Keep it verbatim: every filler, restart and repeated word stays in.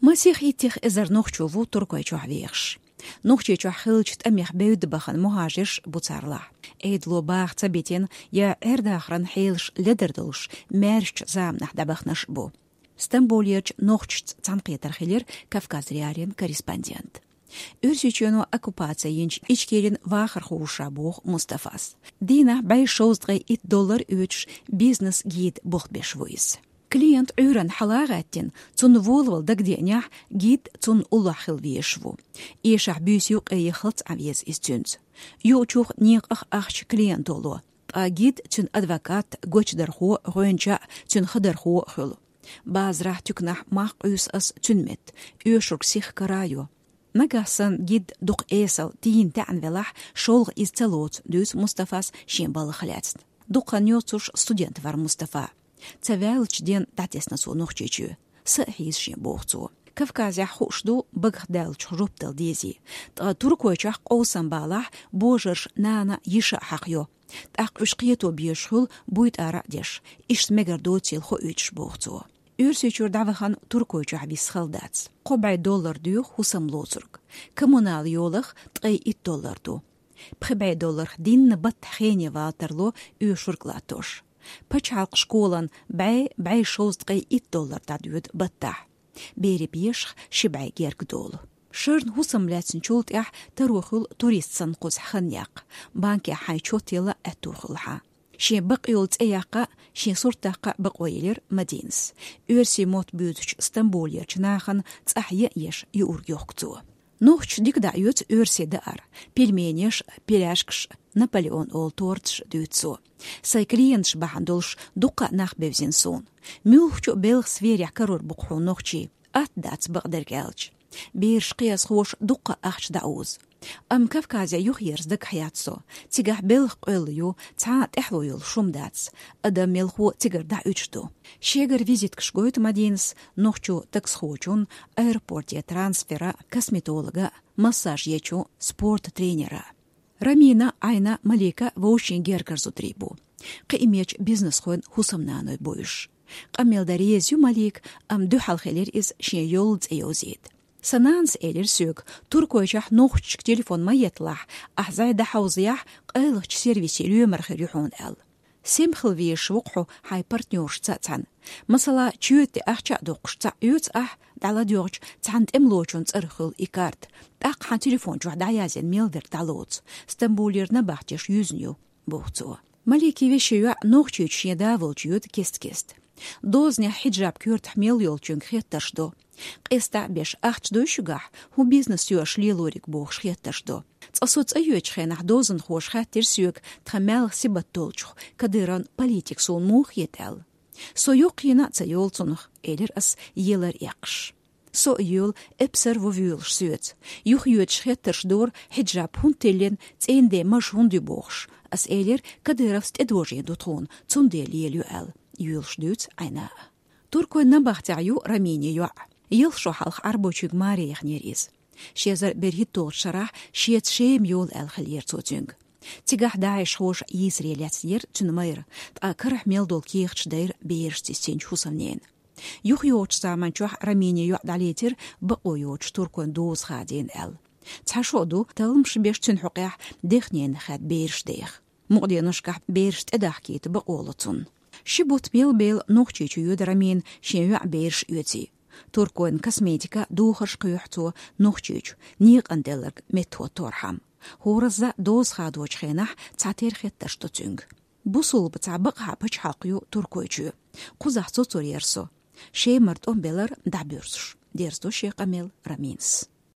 Масех иттех эзар нохчо ву Туркойчохь вехаш. Нохчийчохь хиллачу тӀамех бевдда бахана мухӀажирш бу царлахь. Ӏедало баха ца битина я Ӏер-дахаран хьелаш ледар долуш, маьршачу заманахь дӀабаханарш а бу. Стамбулерчу нохчашца цхьаьнакхетар хилира Кавказ.Реалиин корреспондент. Оьрсийчоьно оккупаци йинчу Ичкерин вахархо ву ша, боху Мустафас. Дийнахь бӀе шовзткъе итт доллар оьцуш бизнес-гид болх беш ву иза. Клиент Ӏуьйранна хьала а гӀаьттина, цунна волавала дагадеанехь, гид цунна уллохь хила везаш ву. Эшахь буьйса юккъе яхалц Ӏан веза иза цуьнца. Юучух некъах ахча клиенто ло. Ткъа гид, цуьнан адвокат, гочдархо, гӀоьнча а, цуьнан хадархо а хуьлу. Базарахь, туьканахь мах къуьйсу ас цуьнан метта, оьшург сиха кара а йо. Нагахь санна гид дукха эсала тийна таьӀна велахь, шолгӀа иза ца лоцу, дуьйцу Мустафас шен балхах лаьцна. Дукха хан йоцуш студент вара Мустафа. Ца ваьллачу ден дӀатесна цо Нохчийчоь. Са а хьийза шен, боху цо. Кавказехь хууш ду багах даьллачух жоп дала дезий. Ткъа Туркойчохь къовсам балахь, божарша нана, йиша а хьакха йо. ТӀаккха уьш кхето безаш хуьлу, буйтӀара а деш, иштта мегар доцийла хоуьйтуш, боху цо. Оьрсийчуьра дӀавахана Туркойчохь виса хала дац. Кхо бӀе доллар доьху хӀусам лоцург. Коммунал йолах ткъе итт доллар ду. Пхи бӀе долларх дийнна баттахь хене вала тарло, оьшург латтош. Пачхьалкхан школан бӀе, бӀе шовзткъе итт доллар дӀадоьду баттахь. Берийн бешах ши бӀе герга долу. Шарна хӀусам лаьцначул тӀаьхьа таро хуьлу турист санна кхузахь хан яккха, банкехь хьайн чот яла аьтто хуьлу хьан. Шен бакъйолу цӀе яккха а, шен сурт даккха а бакъо елира Мадинас. Оьрсийн мотт буьйцучу Стамбулерчу нахана цӀахь ян еш юург йохку цо. Нохчаша дика дӀаоьцу оьрсийн даар, пельменеш а, пирожкаш а, Наполеон олу торташ а, дуьйцу цо. Сайн клиенташ бахьана долуш дуккха а нах бевзина суна. Муьлххачу а белхан сферехь карор бу-кх хьуна нохчий. Атта дац, бакъдерг аьлча. Бераш кхиазхоша дуккха а ахча дӀаузу. Амма Кавказе юхаерза дагахь яц со. Цигахь белхан къоьлла ю, цхьа а тӀаьхьало йолуш хӀума дац. Адам мелхо цигара дӀаоьцуш ду. Шегара визиткаш гойту Мадинас нохчо таксхочун, аэропорте трансфера, косметолога, массаж ечу, спорта тренера. Рамина, Ӏайна, Малика вовшийн гергара зударий бу. Кхиамечу бизнесхойн хӀусамнаной бу уьш. Къамел дан реза ю Малика, амма дуьхьал хилира иза шен йолу цӀе йовзийта. Сан нанас элира соьга, Туркойчохь нохчашка телефон ма етталахь, ахь зӀе дӀахьовзаяхь, къайлахчу сервисе лоьмар хир ю хьуна аьлла. Сема хила везаш ву-кх хьо хьайн партнёршца цхьаьна. Масала, чоьте ахча а доккхуш цхьаъ оьцу ахь, дӀаладоьгӀча, цхьана тӀемалочун цӀарах хуьлу и карта. ТӀаккха хьан телефон чохь дӀаязйина мел дерг дӀалоцу. Стамбулера набахтеш юьзна ю, боху цо. Маликин вешин йоӀ Нохчийчу шен да волчу йоьду кест-кеста. Дозанехь хьиджаб коьртахь мел йолчуьнга хеттарш до. Къестахь беш, ахча дуй шуьгахь, хӀун бизнес ю аша лелориг, бохуш хеттарш до. Цкъа со цӀа йоьдучу хенахь дозанхоша хаьттира соьга, тхан маьлхан сибат долчух, Кадыровн политика суна муха хета аьлла. Со йоккхийна а ца йолу цунах, элира ас, елар эккхаш. Со а йоьлу, эпсар ву воьлуш соьца. Юхайоьдуш хеттарш дора, хьиджаб хӀунда тиллина, цӀийнан ден маж хӀунда ю бохуш. Ас элира, Кадыровс тӀедожийна ду тхуна, цундела лелайо аьлла, йоьлуш дуьйцу Ӏайна. Туркойн набахтехь ю Раминин йоӀ. Ялх шо хьалха Ӏарбойчуьнга маре яханера иза. Ши эзар берхӀитталгӀачу шарахь шеца Шема йола аьлла хиллера цо цуьнга. Цигахь ДАИШхоша йийсаре лецнера цуьнан майра, ткъа карахь мел долу кехаташ дайра берашца йисинчу хӀусамнена. ЮхайогӀучу заманчохь Раминин йоӀ дӀалецира, бакъо йоцуш туркойн доза хадийна аьлла. Цхьа шо а ду, талламаш беш цуьнан хьокъехь дехненах хаьдда бераш деха. Мукъаденошкахь бераш тӀедахкийта бакъо ло цунна. Ши бутт мел бела Нохчийчу йоьду Рамина шен йоӀ бераш оьций. Туркойн косметика, духарш кхоьхьу цо Нохчийчу, некъан делларг меттахӀотторхьама. ХӀоразза доза хадочу хенахь цхьатерра хеттарш до цуьнга. Бусулба цхьа бакъахьа пачхьалкх ю Туркойчоь. Кхузахь цо цур яра со. Шемара тӀом белар дӀабоьрзуш, дерзадо шен къамел Раминас.